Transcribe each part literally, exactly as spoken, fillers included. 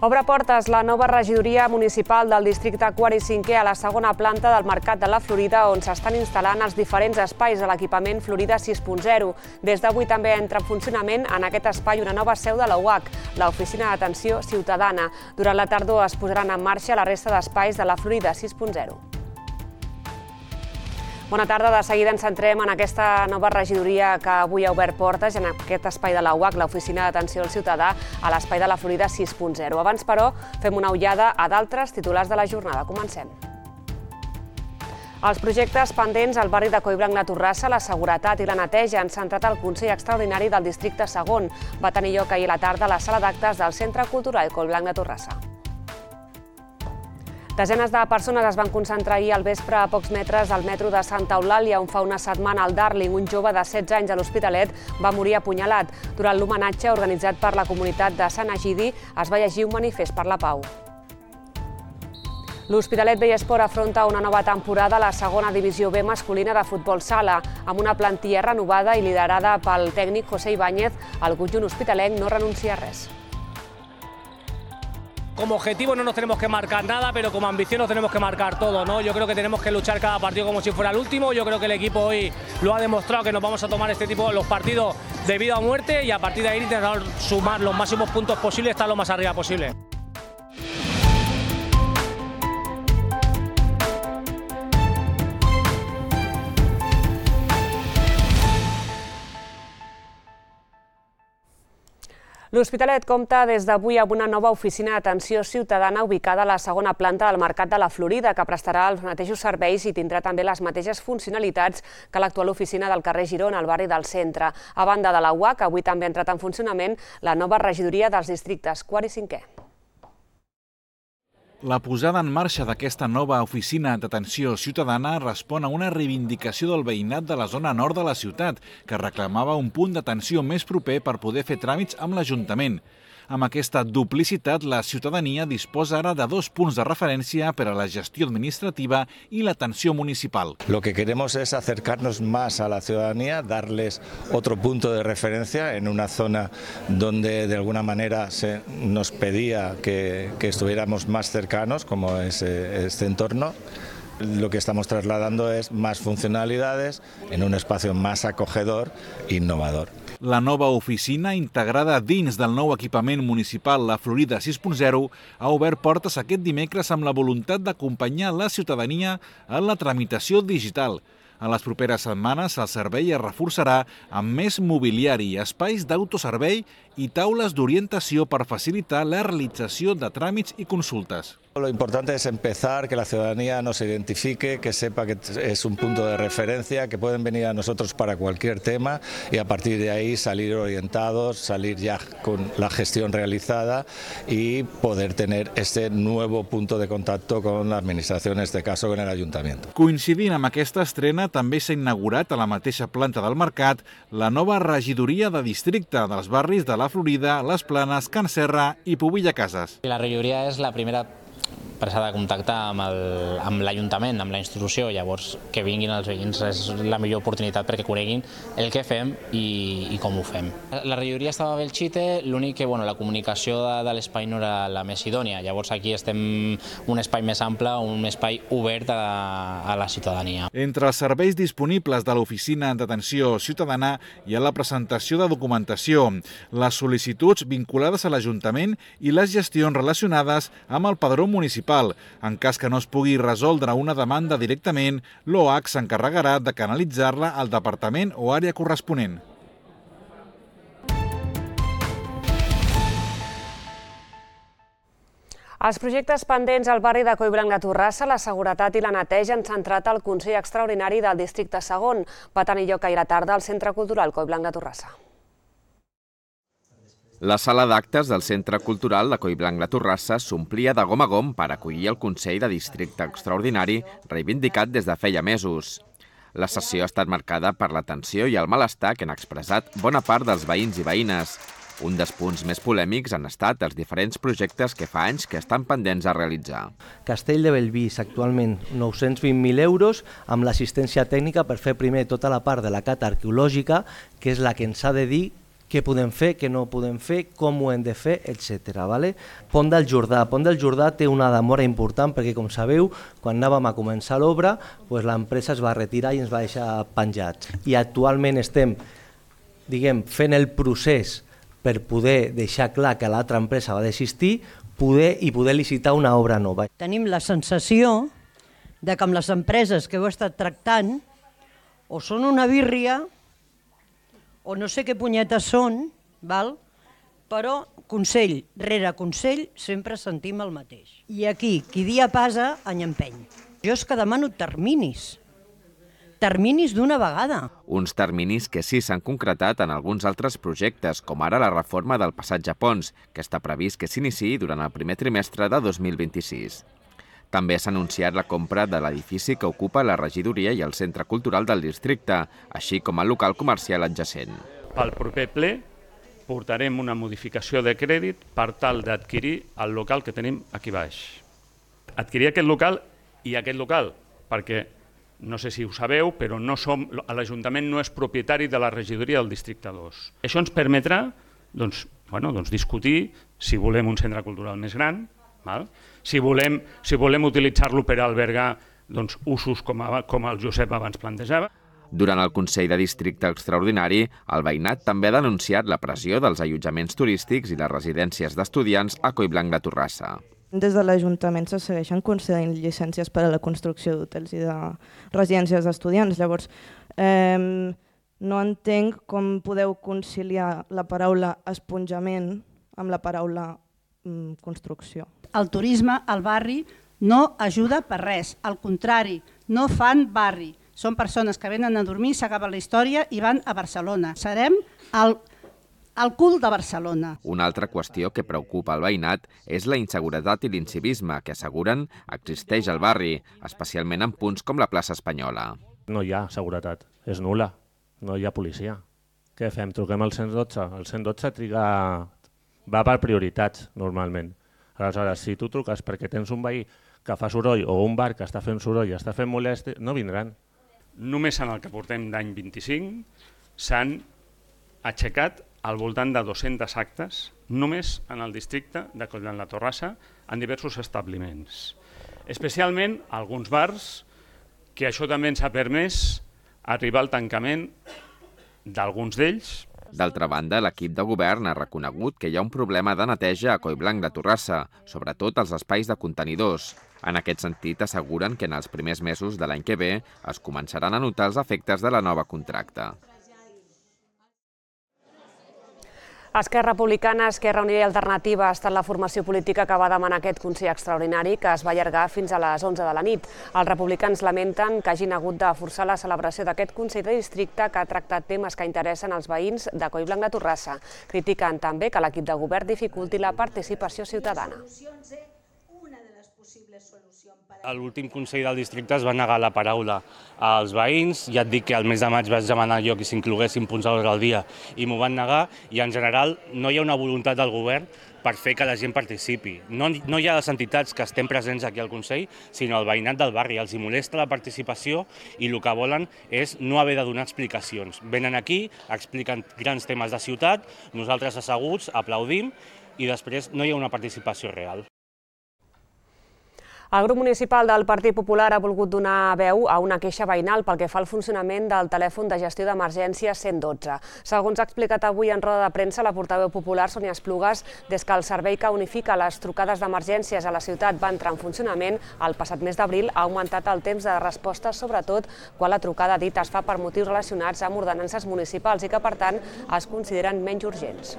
Obre portes la nova regidoria municipal del districte quart i cinquè a la segona planta del Mercat de la Florida, on s'estan instal·lant els diferents espais de l'equipament Florida sis punt zero. Des d'avui també entra en funcionament en aquest espai una nova seu de la U H, l'Oficina d'Atenció Ciutadana. Durant la tardor es posaran en marxa la resta d'espais de la Florida sis punt zero. Bona tarda, de seguida ens centrem en aquesta nova regidoria que avui ha obert portes en aquest espai de la U H, l'Oficina d'Atenció al Ciutadà, a l'espai de la Florida sis punt zero. Abans, però, fem una ullada a d'altres titulars de la jornada. Comencem. Els projectes pendents al barri de Collblanc de Torrassa, la seguretat i la neteja han centrat el Consell Extraordinari del districte segon. Va tenir lloc ahir a la tarda a la sala d'actes del Centre Cultural Collblanc de Torrassa. Desenes de persones es van concentrar ahir al vespre a pocs metres del metro de Santa Eulàlia, on fa una setmana al Darling, un jove de setze anys a l'Hospitalet, va morir apunyalat. Durant l'homenatge organitzat per la comunitat de Sant Egidi es va llegir un manifest per la pau. L'Hospitalet Vallesport afronta una nova temporada a la segona divisió B masculina de futbol sala. Amb una plantilla renovada i liderada pel tècnic José Ibáñez, el conjunt hospitalenc no renuncia a res. Como objetivo no nos tenemos que marcar nada, pero como ambición nos tenemos que marcar todo, ¿no? Yo creo que tenemos que luchar cada partido como si fuera el último. Yo creo que el equipo hoy lo ha demostrado, que nos vamos a tomar este tipo de los partidos de vida o muerte y a partir de ahí intentar sumar los máximos puntos posibles y estar lo más arriba posible. L'Hospitalet compta des d'avui amb una nova oficina d'atenció ciutadana ubicada a la segona planta del Mercat de la Florida, que prestarà els mateixos serveis i tindrà també les mateixes funcionalitats que l'actual oficina del carrer Girona, al barri del centre. A banda de la U H, avui també ha entrat en funcionament la nova regidoria dels districtes quart i cinquè. La posada en marxa d'aquesta nova oficina d'atenció ciutadana respon a una reivindicació del veïnat de la zona nord de la ciutat, que reclamava un punt d'atenció més proper per poder fer tràmits amb l'Ajuntament. Amb aquesta duplicitat, la ciutadania disposa ara de dos punts de referència per a la gestió administrativa y la atención municipal. Lo que queremos es acercarnos más a la ciudadanía, darles otro punto de referencia en una zona donde de alguna manera se nos pedía que, que estuviéramos más cercanos, como es este entorno. Lo que estamos trasladando es más funcionalidades en un espacio más acogedor e innovador. La nova oficina, integrada dins del nou equipament municipal La Florida sis punt zero, ha obert portes aquest dimecres amb la voluntat d'acompanyar la ciutadania en la tramitació digital. En les properes setmanes el servei es reforçarà amb més mobiliari, espais d'autoservei i taules d'orientació per facilitar la realització de tràmits i consultes. Lo importante es empezar, que la ciudadanía nos identifique, que sepa que es un punto de referencia, que pueden venir a nosotros para cualquier tema y a partir de ahí salir orientados, salir ya con la gestión realizada y poder tener este nuevo punto de contacto con la administración, en este caso con el Ayuntamiento. Coincidint amb aquesta estrena, també s'ha inaugurat a la mateixa planta del mercat la nova regidoria de districte dels barris de la Florida, Les Planes, Can Serra i Pobilla Cases. La regidoria és la primera presa de contacte amb l'Ajuntament, amb la institució, llavors que vinguin els veïns és la millor oportunitat perquè coneguin el que fem i com ho fem. La regidoria estava a Belchite, l'únic que la comunicació de l'espai no era la més idònia, llavors aquí estem un espai més ample, un espai obert a la ciutadania. Entre els serveis disponibles de l'Oficina d'Atenció Ciutadana hi ha la presentació de documentació, les sol·licituds vinculades a l'Ajuntament i les gestions relacionades amb el padró municipal. En cas que no es pugui resoldre una demanda directament, l'O H s'encarregarà de canalitzar-la al departament o àrea corresponent. Els projectes pendents al barri de Collblanc de Torrassa, la seguretat i la neteja han centrat el Consell Extraordinari del districte segon. Va tenir lloc ahir a la tarda al Centre Cultural Collblanc de Torrassa. La sala d'actes del Centre Cultural de Collblanc de Torrassa s'omplia de gom a gom per acollir el Consell de Districte Extraordinari reivindicat des de feia mesos. La sessió ha estat marcada per la tensió i el malestar que han expressat bona part dels veïns i veïnes. Un dels punts més polèmics han estat els diferents projectes que fa anys que estan pendents a realitzar. Castell de Bellvís, actualment nou-cents vint mil euros, amb l'assistència tècnica per fer primer tota la part de la cata arqueològica, que és la que ens ha de dir què podem fer, què no podem fer, com ho hem de fer, etcètera. Vale? Pont del Jordà. Pont del Jordà té una demora important perquè, com sabeu, quan anàvem a començar l'obra, doncs l'empresa es va retirar i ens va deixar penjats. I actualment estem, diguem, fent el procés per poder deixar clar que l'altra empresa va desistir poder i poder licitar una obra nova. Tenim la sensació de que amb les empreses que heu estat tractant o són una birria o no sé què punyetes són, val? Però consell rere consell sempre sentim el mateix. I aquí, qui dia passa, any empeny. Jo és que demano terminis. Terminis d'una vegada. Uns terminis que sí s'han concretat en alguns altres projectes, com ara la reforma del passatge Pons, que està previst que s'iniciï durant el primer trimestre de dos mil vint-i-sis. També s'ha anunciat la compra de l'edifici que ocupa la regidoria i el centre cultural del districte, així com el local comercial adjacent. Pel proper ple portarem una modificació de crèdit per tal d'adquirir el local que tenim aquí baix. Adquirir aquest local i aquest local, perquè no sé si ho sabeu, però no som, l'Ajuntament no és propietari de la regidoria del districte dos. Això ens permetrà doncs, bueno, doncs discutir si volem un centre cultural més gran, val? Si volem, si volem utilitzar-lo per albergar doncs, usos com, a, com el Josep abans plantejava. Durant el Consell de Districte Extraordinari, el veïnat també ha denunciat la pressió dels allotjaments turístics i les residències d'estudiants a Collblanc de Torrassa. Des de l'Ajuntament se segueixen concedint llicències per a la construcció d'hotels i de residències d'estudiants. Llavors, eh, no entenc com podeu conciliar la paraula esponjament amb la paraula mm, construcció. El turisme al barri no ajuda per res, al contrari, no fan barri. Són persones que venen a dormir, s'acaba la història i van a Barcelona. Serem el, el cul de Barcelona. Una altra qüestió que preocupa el veïnat és la inseguretat i l'incivisme que asseguren existeix al barri, especialment en punts com la plaça Espanyola. No hi ha seguretat, és nul·la, no hi ha policia. Què fem? Truquem al cent dotze? El cent dotze triga... va per prioritats, normalment. Aleshores, si tu truques perquè tens un veí que fa soroll o un bar que està fent soroll i està fent molest, no vindran. Només en el que portem d'any vint-i-cinc s'han aixecat al voltant de dos-cents actes, només en el districte de Collblanc de Torrassa, en diversos establiments. Especialment alguns bars, que això també ens ha permès arribar al tancament d'alguns d'ells. D'altra banda, l'equip de govern ha reconegut que hi ha un problema de neteja a Collblanc de Torrassa, sobretot als espais de contenidors. En aquest sentit, asseguren que en els primers mesos de l'any que ve es començaran a notar els efectes de la nova contracta. Esquerra Republicana, Esquerra Unida i Alternativa ha estat la formació política que va demanar aquest Consell Extraordinari que es va allargar fins a les onze de la nit. Els republicans lamenten que hagin hagut de forçar la celebració d'aquest Consell de Districte que ha tractat temes que interessen als veïns de Collblanc de Torrassa. Critiquen també que l'equip de govern dificulti la participació ciutadana. A l'últim Consell del Districte es va negar la paraula als veïns, ja et dic que al mes de maig vaig demanar jo que s'incloguessin punts a l'ordre del dia i m'ho van negar, i en general no hi ha una voluntat del govern per fer que la gent participi. No, no hi ha les entitats que estem presents aquí al Consell, sinó el veïnat del barri. Els hi molesta la participació i el que volen és no haver de donar explicacions. Venen aquí, expliquen grans temes de ciutat, nosaltres asseguts aplaudim i després no hi ha una participació real. El grup municipal del Partit Popular ha volgut donar veu a una queixa veïnal pel que fa al funcionament del telèfon de gestió d'emergència cent dotze. Segons ha explicat avui en roda de premsa la portaveu popular Sònia Esplugues, des que el servei que unifica les trucades d'emergències a la ciutat va entrar en funcionament el passat mes d'abril, ha augmentat el temps de resposta, sobretot quan la trucada dita es fa per motius relacionats amb ordenances municipals i que, per tant, es consideren menys urgents.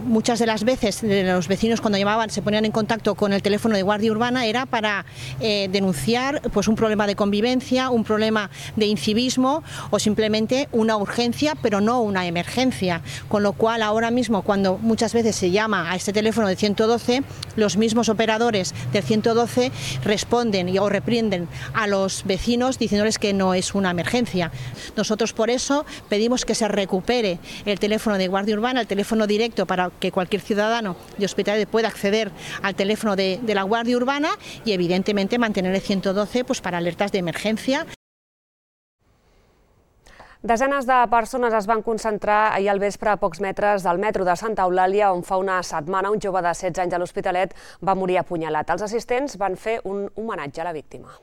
Muchas de las veces los vecinos cuando llamaban se ponían en contacto con el teléfono de Guardia Urbana era para eh, denunciar pues, un problema de convivencia, un problema de incivismo o simplemente una urgencia, pero no una emergencia. Con lo cual ahora mismo cuando muchas veces se llama a este teléfono de ciento doce, los mismos operadores del ciento doce responden y, o reprienden a los vecinos diciéndoles que no es una emergencia. Nosotros por eso pedimos que se recupere el teléfono de Guardia Urbana, el teléfono directo para que cualquier ciudadano de Hospitalet pueda acceder al teléfono de, de la Guardia Urbana y evidentemente mantener el ciento doce pues, para alertas de emergencia. Desenes de persones es van concentrar ahir al vespre a pocs metres del metro de Santa Eulàlia, on fa una setmana un jove de setze anys a l'Hospitalet va morir apunyalat. Els assistents van fer un homenatge a la víctima.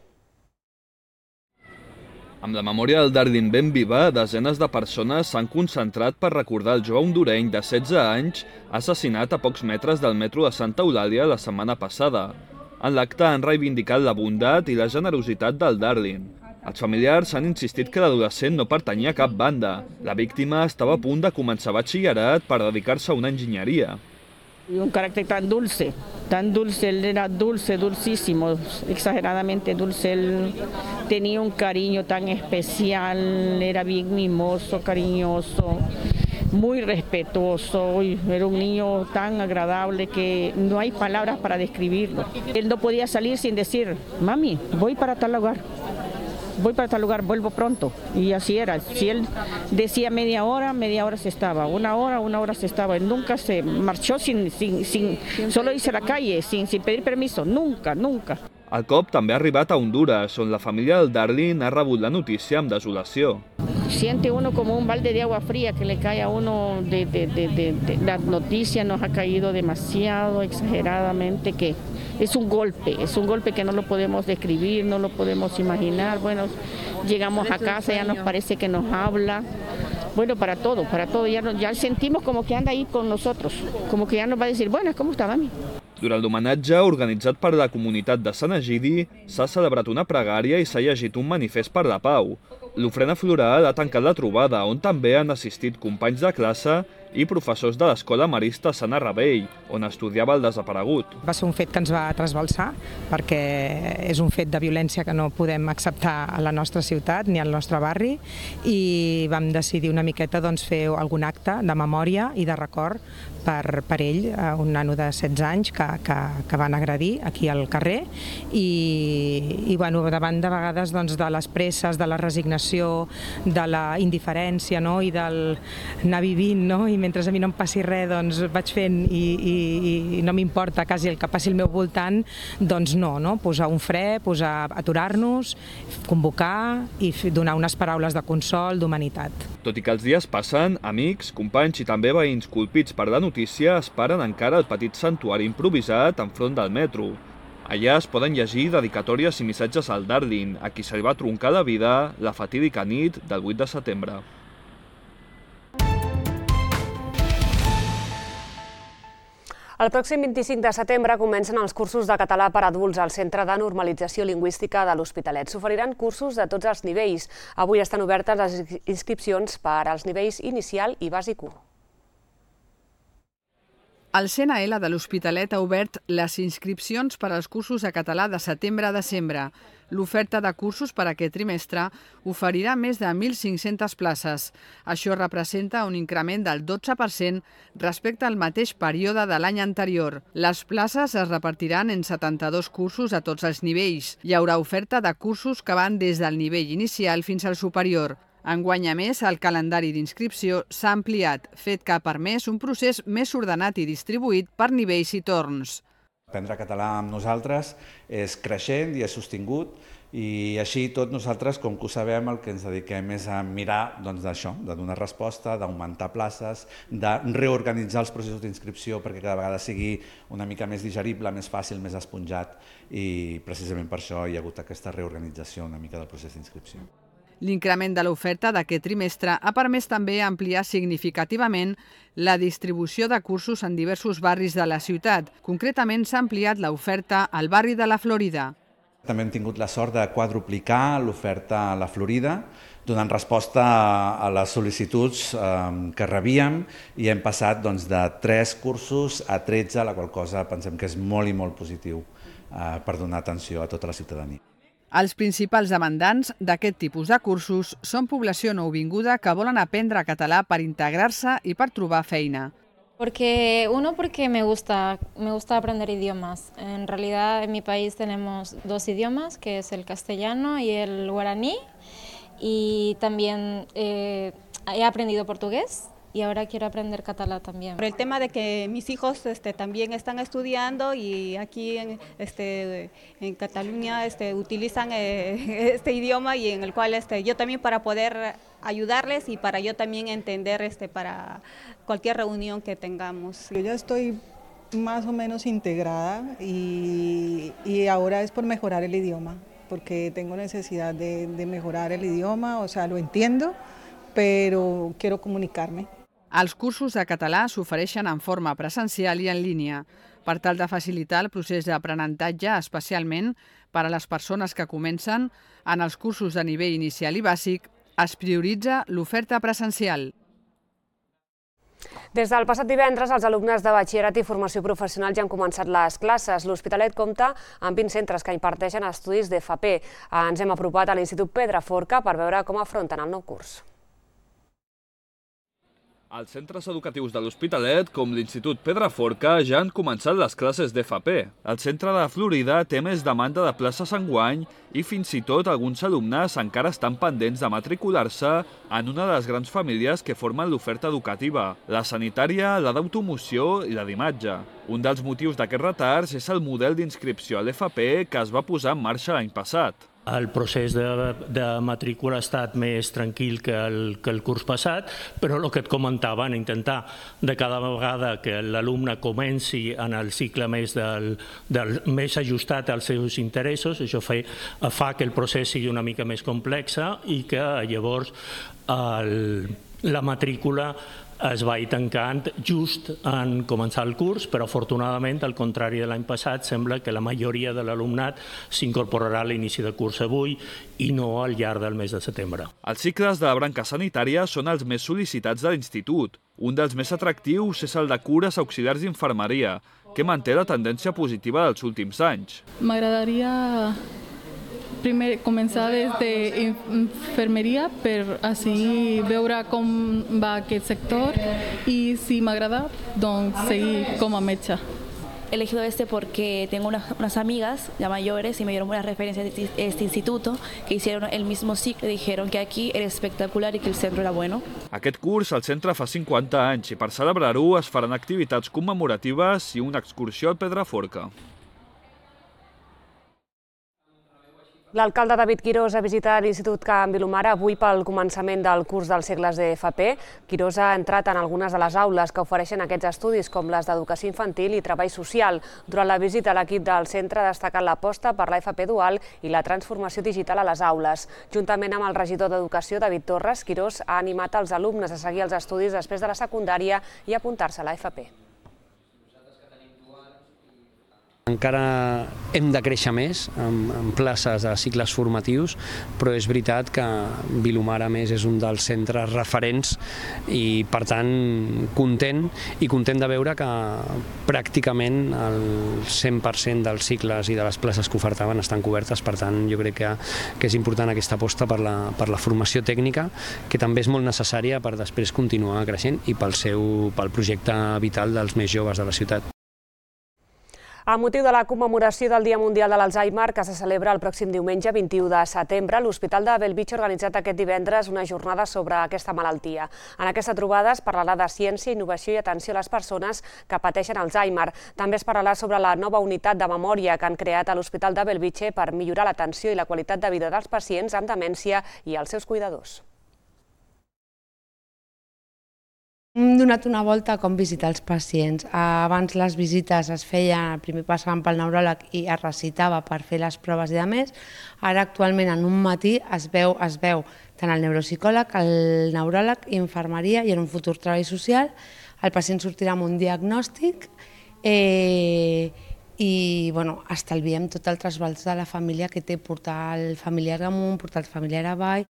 Amb la memòria del Darlin ben viva, desenes de persones s'han concentrat per recordar el jove hondureny de setze anys assassinat a pocs metres del metro de Santa Eulàlia la setmana passada. En l'acte han reivindicat la bondat i la generositat del Darlin. Els familiars han insistit que l'adolescent no pertanyia a cap banda. La víctima estava a punt de començar batxillerat per dedicar-se a una enginyeria. Y un carácter tan dulce, tan dulce, él era dulce, dulcísimo, exageradamente dulce, él tenía un cariño tan especial, era bien mimoso, cariñoso, muy respetuoso, era un niño tan agradable que no hay palabras para describirlo. Él no podía salir sin decir, mami, voy para tal lugar. Voy para tal lugar, vuelvo pronto. Y así era. Si él decía media hora, media hora se estaba. Una hora, una hora se estaba. Él nunca se marchó sin, sin, sin solo irse a la calle, sin, sin pedir permiso. Nunca, nunca. El cop també ha arribat a Honduras, on la família del Darlin ha rebut la notícia amb desolació. Siente uno como un balde de agua fría que le cae a uno de, de, de, de, de la noticia, nos ha caído demasiado, exageradamente, que es un golpe, es un golpe que no lo podemos describir, no lo podemos imaginar. Bueno, llegamos a casa, ya nos parece que nos habla. Bueno, para todo, para todo, ya, ya sentimos como que anda ahí con nosotros, como que ya nos va a decir, bueno, ¿cómo está, mami? Durant l'homenatge, organitzat per la comunitat de Sant Egidi, s'ha celebrat una pregària i s'ha llegit un manifest per la pau. L'ofrena floral ha tancat la trobada, on també han assistit companys de classe i professors de l'Escola Marista Sant Arrabell, on estudiava el desaparegut. Va ser un fet que ens va trasbalsar, perquè és un fet de violència que no podem acceptar a la nostra ciutat ni al nostre barri, i vam decidir una miqueta doncs, fer algun acte de memòria i de record per, per ell, un nano de setze anys que, que, que van agredir aquí al carrer, i, i bueno, davant de vegades doncs, de les presses, de la resignació, de la indiferència, no? I del anar vivint, no? I mentre a mi no em passi res, doncs vaig fent i, i, i no m'importa quasi el que passi al meu voltant, doncs no, no? Posar un fre, posar, aturar-nos, convocar i donar unes paraules de consol, d'humanitat. Tot i que els dies passen, amics, companys i també veïns colpits per la notícia esperen encara el petit santuari improvisat enfront del metro. Allà es poden llegir dedicatòries i missatges al Darlin, a qui se li va troncar la vida la fatídica nit del vuit de setembre. El pròxim vint-i-cinc de setembre comencen els cursos de català per adults al Centre de Normalització Lingüística de l'Hospitalet. S'oferiran cursos de tots els nivells. Avui estan obertes les inscripcions per als nivells inicial i bàsic u. El C N L de l'Hospitalet ha obert les inscripcions per als cursos de català de setembre a desembre. L'oferta de cursos per a aquest trimestre oferirà més de mil cinc-centes places. Això representa un increment del dotze per cent respecte al mateix període de l'any anterior. Les places es repartiran en setanta-dos cursos a tots els nivells. Hi haurà oferta de cursos que van des del nivell inicial fins al superior. Enguany, a més, el calendari d'inscripció s'ha ampliat, fet que ha permès un procés més ordenat i distribuït per nivells i torns. Aprendre català amb nosaltres és creixent i és sostingut, i així tot nosaltres, com que ho sabem, el que ens dediquem és a mirar d'això, de donar resposta, d'augmentar places, de reorganitzar els processos d'inscripció perquè cada vegada sigui una mica més digerible, més fàcil, més esponjat, i precisament per això hi ha hagut aquesta reorganització una mica del procés d'inscripció. L'increment de l'oferta d'aquest trimestre ha permès també ampliar significativament la distribució de cursos en diversos barris de la ciutat. Concretament, s'ha ampliat l'oferta al barri de la Florida. També hem tingut la sort de quadruplicar l'oferta a la Florida, donant resposta a les sol·licituds que rebíem, i hem passat de tres cursos a tretze, la qual cosa pensem que és molt i molt positiu per donar atenció a tota la ciutadania. Els principals demandants d'aquest tipus de cursos són població nouvinguda que volen aprendre català per integrar-se i per trobar feina. Porque, uno, porque me gusta, me gusta aprender idiomas. En realidad, en mi país tenemos dos idiomas, que es el castellano y el guaraní. Y también eh, he aprendido portugués y ahora quiero aprender catalán también. Por el tema de que mis hijos este, también están estudiando y aquí en, este, en Cataluña este, utilizan eh, este idioma y en el cual este, yo también para poder ayudarles y para yo también entender este, para cualquier reunión que tengamos. Yo ya estoy más o menos integrada y, y ahora es por mejorar el idioma, porque tengo necesidad de, de mejorar el idioma, o sea, lo entiendo, pero quiero comunicarme. Els cursos de català s'ofereixen en forma presencial i en línia, per tal de facilitar el procés d'aprenentatge, especialment per a les persones que comencen en els cursos de nivell inicial i bàsic, es prioritza l'oferta presencial. Des del passat divendres, els alumnes de batxillerat i formació professional ja han començat les classes. L'Hospitalet compta amb vint centres que imparteixen estudis d'F P. Ens hem apropat a l'Institut Pedraforca per veure com afronten el nou curs. Els centres educatius de l'Hospitalet, com l'Institut Pedraforca, ja han començat les classes d'F P. El centre de Florida té més demanda de places enguany i fins i tot alguns alumnes encara estan pendents de matricular-se en una de les grans famílies que formen l'oferta educativa, la sanitària, la d'automoció i la d'imatge. Un dels motius d'aquests retards és el model d'inscripció a l'F P que es va posar en marxa l'any passat. El procés de, de matrícula ha estat més tranquil que el, que el curs passat, però el que et comentava, en intentar de cada vegada que l'alumne comenci en el cicle més, del, del, més ajustat als seus interessos, això fa, fa que el procés sigui una mica més complex i que llavors el, la matrícula es va tancant just en començar el curs, però afortunadament, al contrari de l'any passat, sembla que la majoria de l'alumnat s'incorporarà a l'inici de curs avui i no al llarg del mes de setembre. Els cicles de la branca sanitària són els més sol·licitats de l'institut. Un dels més atractius és el de cures auxiliars d'infermeria, que manté la tendència positiva dels últims anys. M'agradaria primer començar des d'infermeria per així veure com va aquest sector y si m'agrada, doncs seguir com a metge. He elegido este porque tengo unas, unas amigas ya mayores y me dieron buenas referencias de este instituto que hicieron el mismo ciclo y dijeron que aquí era espectacular y que el centro era bueno. Aquest curs el centre fa cinquanta anys i per celebrar-ho es faran activitats commemoratives i una excursió al Pedraforca. L'alcalde David Quirós ha visitat l'Institut Can Vilomara avui pel començament del curs dels segles d'F P. Quirós ha entrat en algunes de les aules que ofereixen aquests estudis, com les d'educació infantil i treball social. Durant la visita, l'equip del centre ha destacat l'aposta per l'F P dual i la transformació digital a les aules. Juntament amb el regidor d'Educació, David Torres, Quirós ha animat els alumnes a seguir els estudis després de la secundària i apuntar-se a l'F P. Encara hem de créixer més en places de cicles formatius, però és veritat que Vilomara més és un dels centres referents i, per tant, content i content de veure que pràcticament el cent per cent dels cicles i de les places que ofertaven estan cobertes. Per tant, jo crec que, que és important aquesta aposta per la, per la formació tècnica, que també és molt necessària per després continuar creixent i pel, seu, pel projecte vital dels més joves de la ciutat. Amb motiu de la commemoració del Dia Mundial de l'Alzheimer, que se celebra el pròxim diumenge vint-i-u de setembre, l'Hospital de Bellvitge ha organitzat aquest divendres una jornada sobre aquesta malaltia. En aquesta trobada es parlarà de ciència, innovació i atenció a les persones que pateixen Alzheimer. També es parlarà sobre la nova unitat de memòria que han creat a l'Hospital de Bellvitge per millorar l'atenció i la qualitat de vida dels pacients amb demència i els seus cuidadors. Hem donat una volta a com visitar els pacients. Abans les visites es feien, primer passaven pel neuròleg i es recitava per fer les proves i a més. Ara actualment en un matí es veu, es veu tant el neuropsicòleg, el neuròleg, infermeria i en un futur treball social. El pacient sortirà amb un diagnòstic eh, i bueno, estalviem tot el trasbals de la família que té, portar el familiar amunt, portar el familiar avall.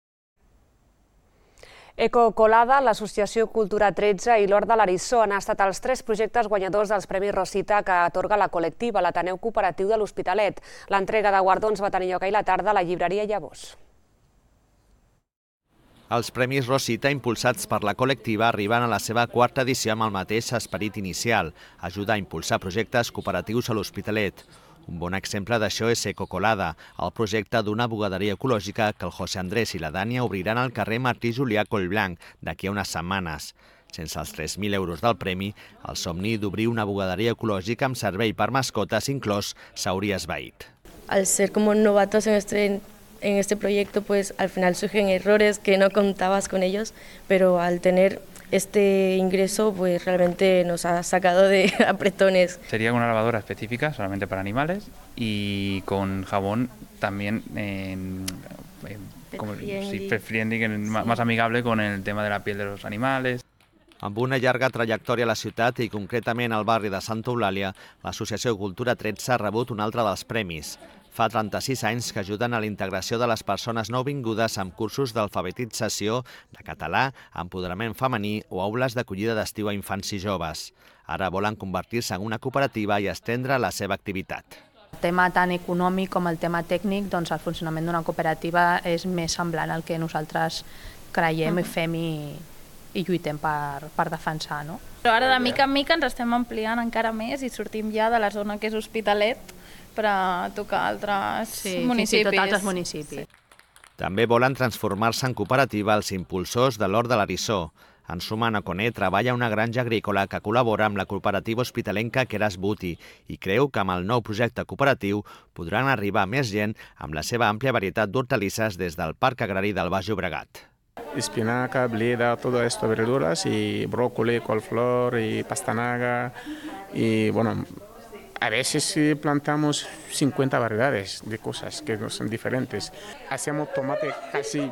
Ecocolada, l'Associació Cultura tretze i l'Hort de l'Arissó han estat els tres projectes guanyadors dels Premis Rosita que atorga la col·lectiva, l'Ateneu Cooperatiu de l'Hospitalet. L'entrega de guardons va tenir lloc ahir a la tarda a la llibreria Llavors. Els Premis Rosita, impulsats per la col·lectiva, arriben a la seva quarta edició amb el mateix esperit inicial, ajudar a impulsar projectes cooperatius a l'Hospitalet. Un bon exemple d'això és Ecocolada, el projecte d'una bugaderia ecològica que el José Andrés i la Dània obriran al carrer Martí Julià Collblanc d'aquí a unes setmanes. Sense els tres mil euros del premi, el somni d'obrir una bugaderia ecològica amb servei per mascotes inclòs s'hauria esvaït. Al ser como novatos en este, en este proyecto, pues al final surgen errores que no contabas con ellos, pero al tener este ingreso pues realmente nos ha sacado de apretones. Sería una lavadora específica solamente para animales y con jabón también en, en, como, sí, pet friendly, sí. Más amigable con el tema de la piel de los animales. Amb una llarga trajectòria a la ciutat i concretament al barri de Santa Eulàlia, l'Associació Cultura tretze ha rebut un altre dels premis. Fa trenta-sis anys que ajuden a la integració de les persones nouvingudes amb cursos d'alfabetització, de català, empoderament femení o aules d'acollida d'estiu a infants i joves. Ara volen convertir-se en una cooperativa i estendre la seva activitat. El tema tant econòmic com el tema tècnic, doncs el funcionament d'una cooperativa és més semblant al que nosaltres creiem i fem i, i lluitem per, per defensar. No? Però ara de mica en mica ens estem ampliant encara més i sortim ja de la zona que és Hospitalet per a tocar altres sí, municipis. Fins i tot altres municipis. Sí. També volen transformar-se en cooperativa els impulsors de l'Hort de l'Arissó. En Sumana Coné treballa a una granja agrícola que col·labora amb la cooperativa hospitalenca Keras Buti i creu que amb el nou projecte cooperatiu podran arribar més gent amb la seva àmplia varietat d'hortalisses des del Parc Agrari del Baix Llobregat. Espinaca, bleda, todo esto, verduras y brócoli, coliflor y pastanaga y bueno, a veces plantamos cincuenta variedades de cosas que no son diferentes. Hacemos tomate casi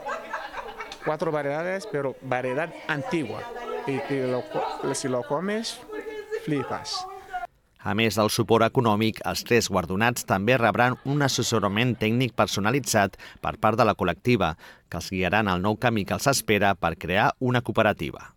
cuatro variedades, pero variedad antigua. Y lo, si lo comes, flipas. A més del suport econòmic, els tres guardonats també rebran un assessorament tècnic personalitzat per part de la col·lectiva, que els guiaran al nou camí que els espera per crear una cooperativa.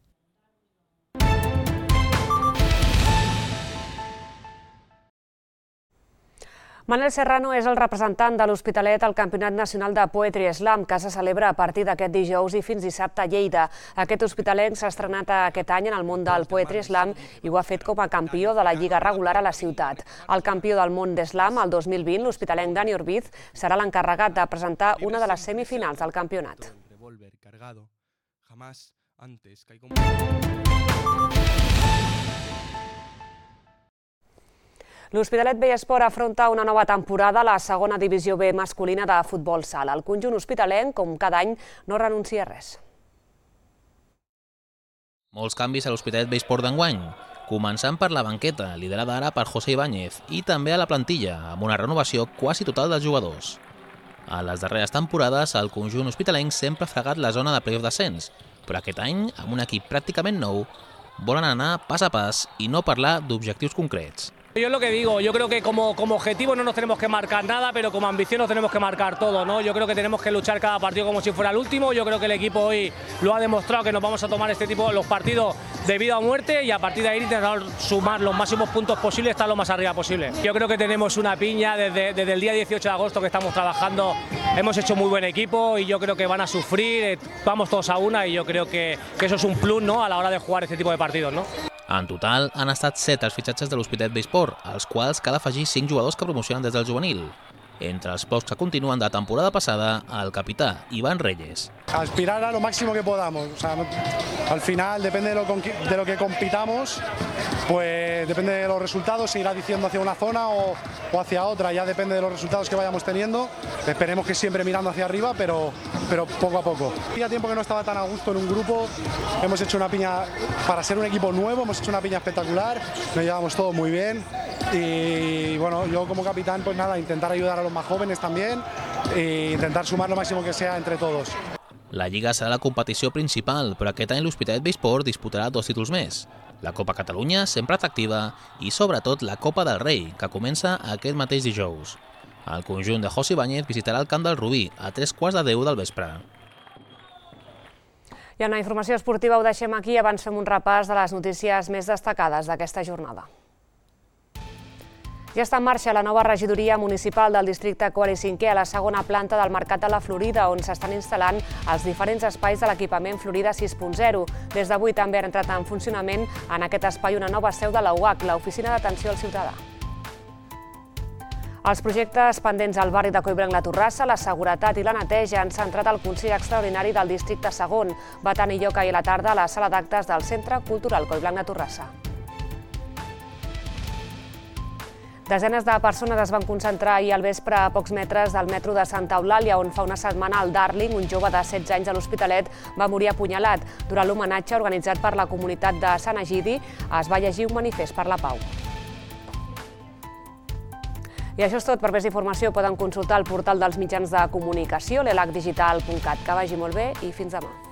Manel Serrano és el representant de l'Hospitalet al Campionat Nacional de Poetry Slam, que se celebra a partir d'aquest dijous i fins dissabte a Lleida. Aquest hospitalenc s'ha estrenat aquest any en el món del Poetry Slam i ho ha fet com a campió de la lliga regular a la ciutat. El campió del món d'Slam, el dos mil vint, l'hospitalenc Dani Orbiz, serà l'encarregat de presentar una de les semifinals del campionat. L'Hospitalet Vell Esport afronta una nova temporada a la segona divisió B masculina de futbol sala. El conjunt hospitalenc, com cada any, no renuncia a res. Molts canvis a l'Hospitalet Vell Esport d'enguany, començant per la banqueta, liderada ara per José Ibáñez, i també a la plantilla, amb una renovació quasi total dels jugadors. A les darreres temporades, el conjunt hospitalenc sempre ha fregat la zona de playoff d'ascens, però aquest any, amb un equip pràcticament nou, volen anar pas a pas i no parlar d'objectius concrets. Yo es lo que digo, yo creo que como, como objetivo no nos tenemos que marcar nada, pero como ambición nos tenemos que marcar todo, ¿no? Yo creo que tenemos que luchar cada partido como si fuera el último. Yo creo que el equipo hoy lo ha demostrado, que nos vamos a tomar este tipo de los partidos de vida o muerte y a partir de ahí intentar sumar los máximos puntos posibles, estar lo más arriba posible. Yo creo que tenemos una piña desde, desde el día dieciocho de agosto que estamos trabajando, hemos hecho muy buen equipo y yo creo que van a sufrir, vamos todos a una y yo creo que, que eso es un plus, ¿no?, a la hora de jugar este tipo de partidos, ¿no? En total, han estat set els fitxatges de l'Hospitalet Vell Esport, als quals cal afegir cinc jugadors que promocionen des del juvenil. Entre els pocs que continuen de temporada passada, el capità Iván Reyes. Aspirar a lo máximo que podamos. O sea, no, al final, depende de lo, de lo que compitamos, pues depende de los resultados, se irá diciendo hacia una zona o, o hacia otra, ya depende de los resultados que vayamos teniendo. Esperemos que siempre mirando hacia arriba, pero, pero poco a poco. Hacía tiempo que no estaba tan a gusto en un grupo, hemos hecho una piña, para ser un equipo nuevo, hemos hecho una piña espectacular, nos llevamos todos muy bien y bueno, yo como capitán, pues nada, intentar ayudar a los más jóvenes también e intentar sumar lo máximo que sea entre todos. La Lliga serà la competició principal, però aquest any l'Hospitalet Vell Esport disputarà dos títols més. La Copa Catalunya, sempre atractiva, i sobretot la Copa del Rei, que comença aquest mateix dijous. El conjunt de José Ibáñez visitarà el camp del Rubí a tres quarts de deu del vespre. I en la informació esportiva ho deixem aquí i abans fem un repàs de les notícies més destacades d'aquesta jornada. Ja està en marxa la nova regidoria municipal del districte quart i cinquè a la segona planta del Mercat de la Florida, on s'estan instal·lant els diferents espais de l'equipament Florida sis punt zero. Des d'avui també ha entrat en funcionament en aquest espai una nova seu de la U A C, l'Oficina d'Atenció al Ciutadà. Els projectes pendents al barri de Collblanc la Torrassa, la seguretat i la neteja han centrat el Consell Extraordinari del Districte segon. Va tenir lloc ahir a la tarda a la sala d'actes del Centre Cultural Collblanc la Torrassa. Desenes de persones es van concentrar ahir al vespre a pocs metres del metro de Santa Eulàlia, on fa una setmana el Darling, un jove de setze anys de l'Hospitalet, va morir apunyalat. Durant l'homenatge organitzat per la comunitat de Sant Egidi, es va llegir un manifest per la pau. I això és tot. Per més informació poden consultar el portal dels mitjans de comunicació, l'elac digital punt cat. Que vagi molt bé i fins demà.